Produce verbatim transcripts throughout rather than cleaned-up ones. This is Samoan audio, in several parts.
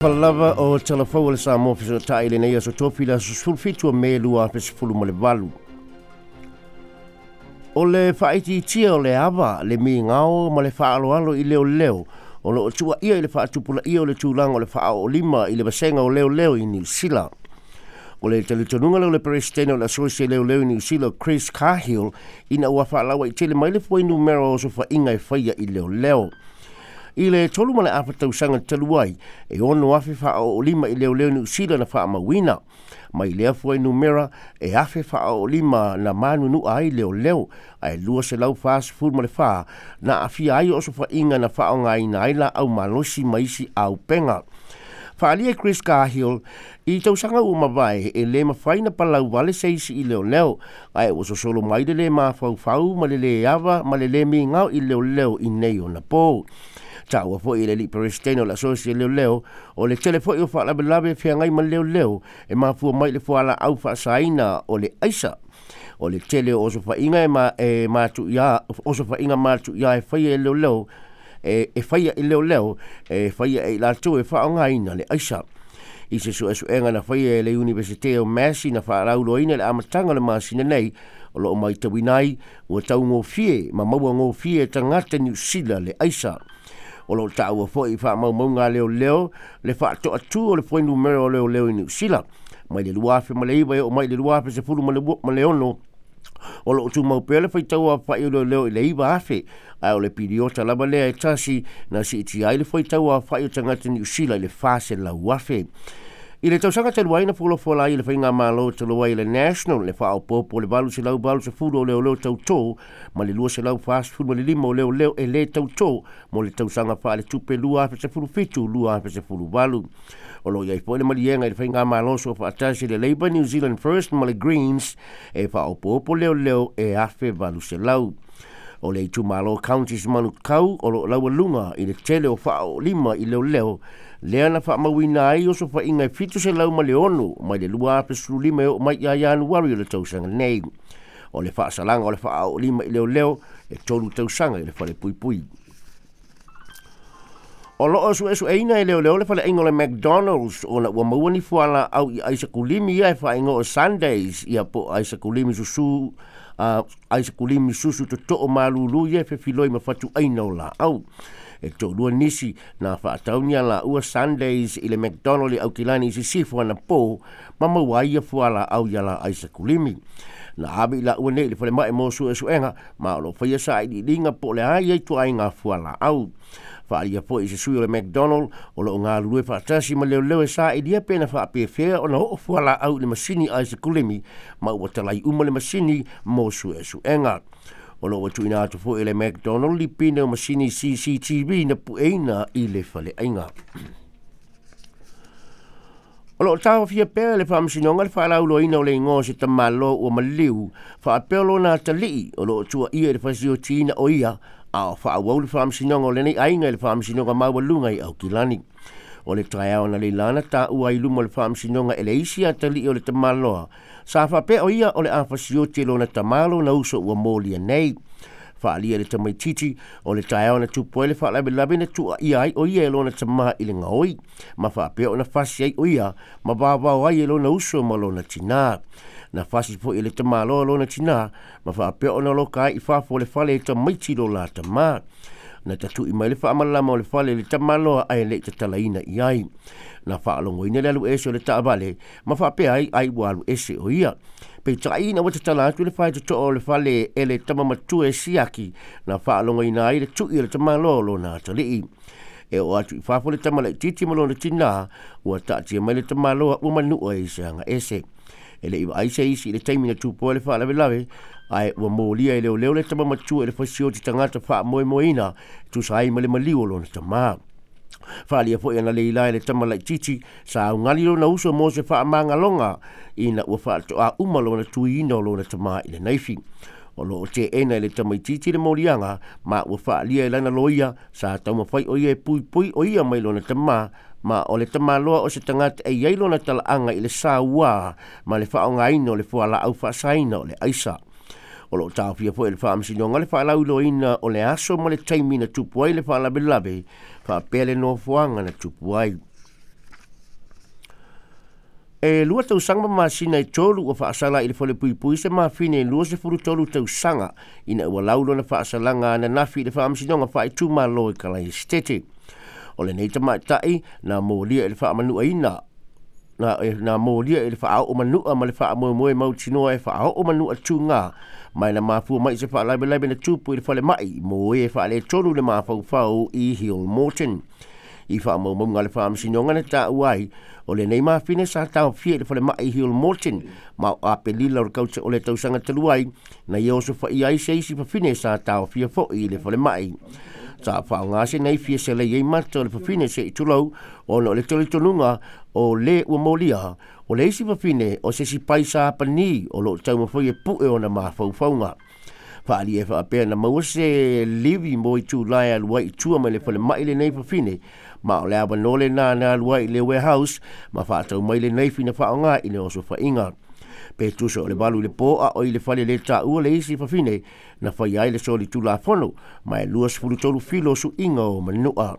Lava o Talafou o le Samoa fesootai lenei aso Tofi le aso sefulu fitu o Me lua afe sefulu ma le valu. O le faaitiitia o le ava, le migao ma le faaaloalo i leoleo o loo tuuaia i le faatupulaia o le tulaga o le faaoolima i le vasega o leoleo i Niu Sila. O le talitonuga lea o le Peresetene o le Asosi Leoleo i Niu Sila, Chris Cahill, ina ua faalauaitele mai le fuainumera o osofaiga e faia i leoleo. I le tolu ma le afa tausaga talu ai, e ono afe faaoolima i leoleo Niu Sila na faamauina. Mai lea fuainumera, e afe faaoolima na manunu'a ai leoleo, ae lua selau fasefulu ma le fā na aafia ai osofaiga na faaaogaina ai laau malosi ma isi auupega. Faaalia e Chris Cahill i tausaga ua mavae e lē mafai na palau vale se isi i leoleo, ae ua sosolo mai le lē mafaufau ma le lē ava ma le lē migao i leoleo i nei ona pō. Taua foi e le alii Peresetene o le Asosi Leoleo, o le tele foi o faalavelave feagai ma leoleo e mafua mai le fualaau faasaina o le aisa. O le tele o osofaiga e, ma, e matuia, osofaiga matuia e faia e leoleo e, e faia i leoleo e faia e i latou e faaaogaina le aisa. I se suesuega na faia e le Iunivesite o Massey na faalauiloaina i le amataga o le masina nei, o loo maitauina ai ua taugofie ma maua gofie e tagata Niu Sila le aisa. O loo taua foi i faamaumauga a leoleo le faatoatū o le fuainumera o leoleo i Niu Sila mai le lua afe ma le iva e oo mai le lua afe sefulu ma le ono. O loo tumau pea le faitau afa'i o leoleo i le iva afe, ae o le piliota lava lea e tasi na siitia ai le faitau afa'i o tagata Niu Sila i le fa selau afe. I le tausaga talu ai na folafola ai le faigamalo talu ai le National le faaopoopo le valu selau valu sefulu o leoleo tautō ma le lua selau fasefulu ma le lima o leoleo e lē tautō mo le tausaga faaletupe lua afe sefulu fitu lua afe sefulu valu. O loo iai foi le maliega i le faigamalo soofaatasi le Labour, New Zealand First ma le Greens e faaopoopo leoleo e afe valu selau. O le itumalo Counties Manukau o loo laualuga i le tele o faaoolima i leoleo, lea na faamauina ai osofaiga e fitu selau ma le ono mai le lua afe sefulu lima e oo mai ia Ianuari o le tausaga nei. O le faasalaga o le faaoolima i leoleo e tolu tausaga i le fale puipui. O loo suesueina e leoleo le faleaiga o le McDonald's ona ua maua ni fualaau i aisakulimi ia e faaigoa o sundaes ia po o aisakulimi susū, uh, aisakulimi susu totoo malūlū ia e fefiloi ma fatuaina o laau. E toalua nisi na faatauni a laua sundaes i le McDonald i Aukilani i Sisifo anapō ma maua ai ia fualaau ia la aisakulimi. Na ave i laua nei i le falemai mo suesuega ma o loo faia sailiiliga po o le a ia ituaiga fualaau. Faaalia foi i se sui o le McDonald o loo galulue faatasi ma leoleo e sailia pe na faapefea ona oo fualaau i le masini aisakulimi, ma ua talai uma le masini mo suesuega. O loo ua tuuina atu foi e le McDonald lipine o masini C C T V na pueina i le faleaiga. O loo taofia pea le faamasinoga le faalauiloaina o le igoa o se tamāloa ua maliu faapea lona atalii o loo tuuaia i le fasiotiina o ia, a o faaauau le faamasinoga o lenei aiga i le Faamasinoga Maualuga i Aukilani. O le taeao na leilana taua ai luma o le faamasinoga e le isi atalii o le tamāloa sa faapea o ia o le a fasioti e lona tamā lona uso ua molia nei. Faaalia le tamaititi o le taeao na tupu ai le faalavelave na tuuaia ai o ia e lona tamā i le gaoi ma faapea ona fasi ai o ia ma vavao ai e lona uso ma lona tinā. Na fasi foi e le tamāloa lona tinā ma faapea ona loka ai i fafo o le fale e tamaiti lo la tamā. Na tatu'i mai le faamalama o le fale i le tamāloa ae le'i tatalaina i ai. Na faalogoina le alu ese o le taavale ma faapea ai ai ua alu ese o ia. Peitai ina ua tatala atu le faitotoa o le fale e le tama matua e siaki, na faalogoina ai le tu'i o le tamāloa o lona atalii. E oo atu i fafo le tama laititi ma lona tinā, ua taatia mai le tamāloa ua manua i se aga ese. E le'i vaai se isi i le taimi na tupu ai le faalavelave, ae ua molia e leoleo le tama matua i le fasioti tagata faamoemoeina e tusa ai ma le maliu o lona tamā. Faaalia foi ana leila e le tama laititi sa augali lona uso mo se faamagaloga ina ua faatoā uma lona tuiina o lona tamā i le naifi. O loo teena e le tamaititi le moliaga ma ua faalia e lana loia sa taumafai o ia e puipui o ia mai lona tamā, ma o le tamāloa o se tagata e iai lona talaaga i le sauā ma le faaaogaina o le fualaau faasaina o le aisa. O loo taofia foi e le faamasinoga le faalauiloaina o le aso ma le taimi na tupu ai le faalavelave faapea le nofoaga na tupu ai. E lua tausaga ma masina e tolu ua faasala i le falepuipui se mafine e luasefulu tolu tausaga ina ua lau lona faasalaga ananafi i le faamasinoga faaitumalo i Kalaesetete. O lenei tamaitai na molia i le faamanuaina na, na molia i le faaoo manua ma le faamoemoe mautinoa e faaoo manua tuga mai na mafua mai se faalavelave na tupu i le falemai mo e faaletonu le mafaufau i Hillmorton. I faamaumauga a le faamasinoga na taua ai o lenei mafine sa taofia i le falemai Hillmorton ma o Apelila o le tausaga talu ai na ia osofaia ai se isi fafine sa taofia foi i le falemai. Sa faaaoga se nei fia selei ai mata o le fafine se i tulou ona o le talitonuga o le ua molia o le isi fafine o se isi paisa pani o loo taumafai e pue ona mafaufauga. Faalia e faapea na maua se livi mo itulā e alu ai i tua mai le falemai lenei fafine ma o le avanoa lena na alu ai i le warehouse ma faatau mai lenei fina faaaoga i le osofaiga. Pe tusa o le valu i le po a o i le fale le taua le isi fafine na faia ai le solitulafono ma e luasefulu tolu filo suiga o manua.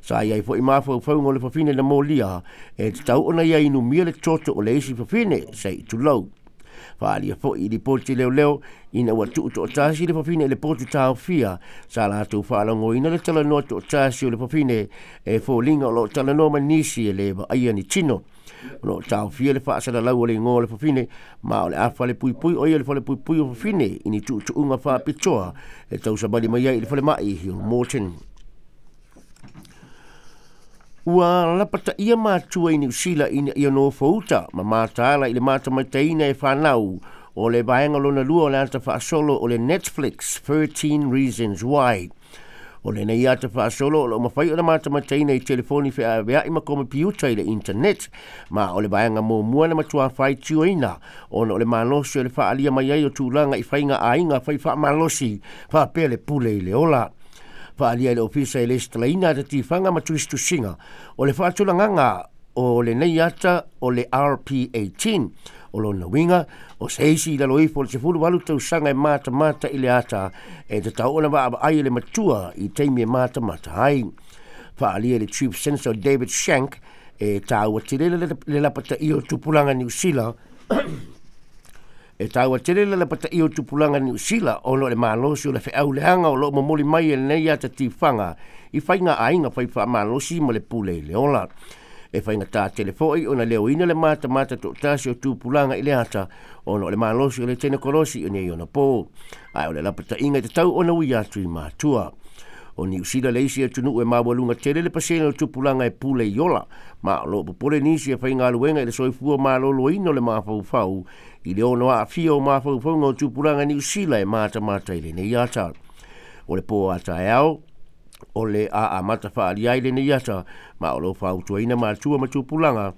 Sa iai foi mafaufauga o le fafine na molia e tatau ona ia inumia le toto o le isi fafine se i tulou. Faalia foi i lipoti leoleo ina ua tuu toatasi le fafine i le potu taofia sa latou faalagoina le talanoa toatasi o le fafine e foliga o loo talanoa ma nisi e le vaaia ni tino. O loo taofia le faasalalau o le igoa o le fafine ma o le a falepuipui o ia le falepuipui o fafine i ni tuutuuga faapitoa e tausavali mai ai i le falemai Hillmorton. Ua lapataia matua i Niu Sila ina ia nofouta ma mataala i le matamaitaina e fanau o le vaega lona lua o le ata faasolo o le Netflix thirteen Reasons Why. O lenei ata faasolo o loo mafai ona matamaitaina i telefoni feaveai ma komepiuta i le internet ma o le vaega muamua na matua faitioina ona o le malosi o le faaalia mai ai o tulaga i faiga aiga fai faamalosi faapea le pule i le ola. Faalia i le ofisa e lesitalaina ata tifaga ma tusitusiga o le faatulagaga o lenei ata o le R P eighteen o lona uiga o se isi i lalo ifo o le sefulu valu tausaga e matamata i le ata e tatau ona vaavaai e le matua i taimi e matamata ai. Faalia i le Chief Censor David Shank e taua tele le lapataia o tupulaga Niu Sila e taua tele le lapataia o tupulaga Niu Sila ona o le malosi o le feauleaga o loo momoli mai e lenei ata tifaga i faiga aiga fai faamalosi ma le pule i le ola. E faigata tele foi ona leoina le matamata toatasi o tupulaga i le ata ona o le malosi o le tenekolosi o nei ona po. Ae o le lapataiga e tatau ona ui atu i matua. O Niu Sila le isi atunuu e maualuga tele le pasene o tupulaga e pule i ola ma o loo popole nisi e faigaluega i le soifua maloloina o le mafaufau i le ono aafia o mafaufauga o tupulaga Niu Sila e matamata i lenei ata. O le po a taeao o le a amata faalia ai lenei ata ma o loo fautuaina matua ma tupulaga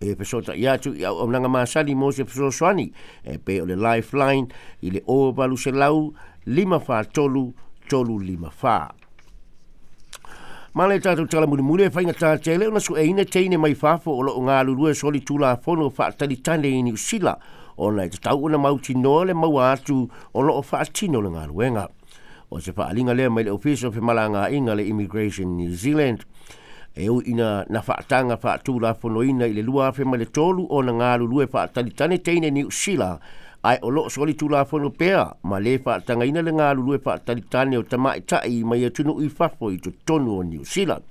e fesota'i atu i auaunaga masani mo se fesoasoani e pei o le Lifeline i le o valu selau lima fa tolu tolu lima fa. Ma le tatou tala mulimuli e faigata tele ona sueina teine mai fafo o loo galulue solitulafono faatalitane i Niu Sila ona e tatau ona mautinoa le maua atu o loo faatino le galuega. O se faaliga lea mai le ofisa o femalagaaiga le Immigration New Zealand. E ui ina na faataga faatulafonoina i le lua afe ma le tolu ona galulue faatalitane teine Niu Sila ae o loo solitulafono pea ma le faatagaina le galulue faatalitane o tamaita'i mai atunuu i fafo i totonu o Niu Sila.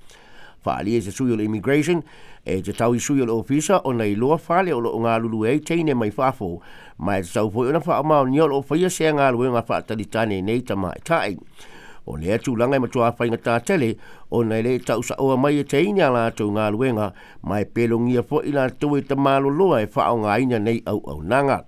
Faalia se sui o le Immigration e tatau i sui o le ofisa ona iloa fale o loo galulue ai teine mai fafo ma e tatau foi ona faamaonia o loo faia sea galuega faatalitane nei tamaita'i. O lea tulaga e matua faigata tele ona e le tausaoa mai e teine a latou galuega ma e pelogia foi latou e tamaloloa e faaaogaina nei auaunaga.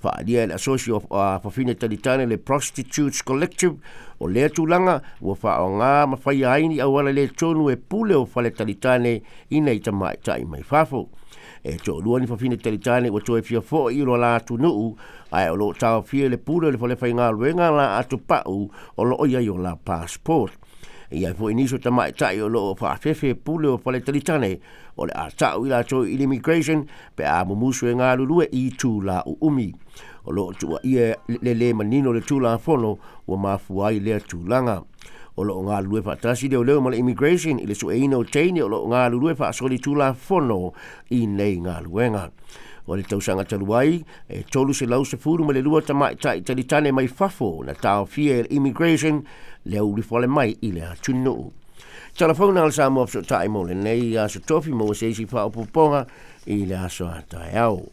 Faalia e le Asosi o Fafine Talitane le Prostitutes Collective o lea tulaga ua faaaoga ma faia ai ni auala le tonu e pule o fale talitane i nei tamaita'i mai fafo. E toalua ni fafine talitane ua toe fia foi i lo la atunuu ae o loo taofia le pule o le fale faigaluega la atopa'u o loo iai o la passport. E iai foi nisi o tamaita'i o loo faafefe pule o fale talitane o le a ta'u i latou i l'immigration pe a mumusu e galulue i tula uumi. O loo tuuaia le le manino le tulafono ua mafua ai lea tulaga. O loo galulue faatasi leoleo ma le Immigration i le sueina o teine o loo galulue faasolitulafono i nei galuega. O le tausaga talu ai e tolu selau sefulu ma le lua tamaitai talitane mai fafo na taofia e le Immigration le ulifale mai i le atunuu. Telefona le Samoa fesootai mo lenei aso Tofi mo se isi faaopoopoga i le aso a taeao.